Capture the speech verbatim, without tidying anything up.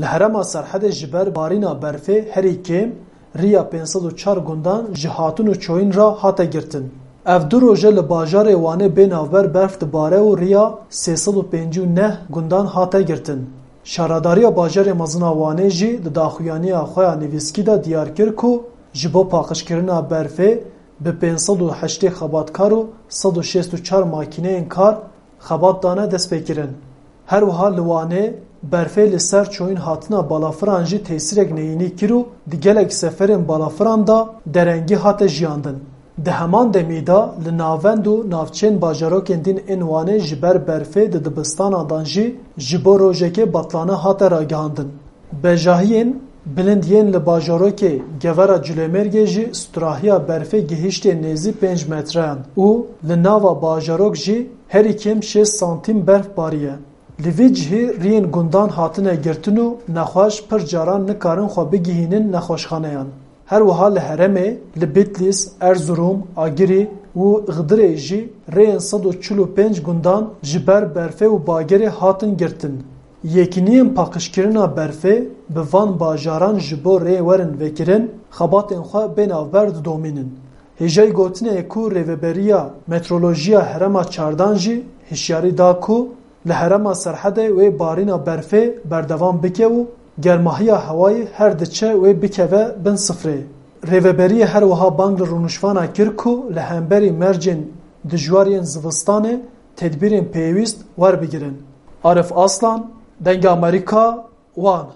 Li herêma Serhedê ji ber barîna berfê herî kêm riya pênc sed û çar gundan ji hatin û çoyîn re hate girtin. Ev du roje li bajarê Wanê bê navber berf dibare û riya sê sed û pêncî û neh gundan hate girtin. Şaredariya bajarê mezin a Wanê jî di daxuyaniya xwe ya nivîskî de diyar kir ku ji bo paqijkirina berfê bi pênc sed û heştê xebatkar û sed û şêst û çar makîneyên kar xebat dane destpêkirin. Her wiha li Wanê berfê li ser çoyîn hatina balafiran jî tesîrek neyînî kir û di gelek seferên balafiran de derengî hate jiyandin. Di heman demî de li navend û navçeyên bajarokên din ên Wanê ji ber berfê di dibistanan dan jî ji bo rojekê betlane hate ragihandin. Bejahiyên bilind yên li bajarokê Gevera Culêmêrgê jî stûrahiya berfê gihiştê nêzî pênc metreyan û li nava bajarok jî herî kêm şêst santîm berf bariye. Li vî cihî riyên gundan hatine girtin û nexweş pir caran nikarin xwe bigihînin nexweşxaneyan. Her wiha li herêmê li Bitlîs, Erzurum, Agirî û Xidirê jî rêyên sed û çil û pênc gundan ji ber berfê û bagerê hatin girtin. Yekîniyên paqijkirina berfê bi van bajaran ji bo rê werin vekirin, xebatên xwe bê navber didomînin. Hêjayî gotinê ye ku Rêveberiya Metrolojiya Herêma Çardan jî hişyarî da ku li herêma Serhedê wê barîna berfê berdewam bike û germahiya hewayê her diçe wê bikeve bin sifrê. Rêveberiyê her wiha bang li rûniştvan a kir ku li hemberî mercên dijwar yên zivistanê tedbîrên pêwîst werbigirin. Arif Aslan, Dengê Amerîka, Wan.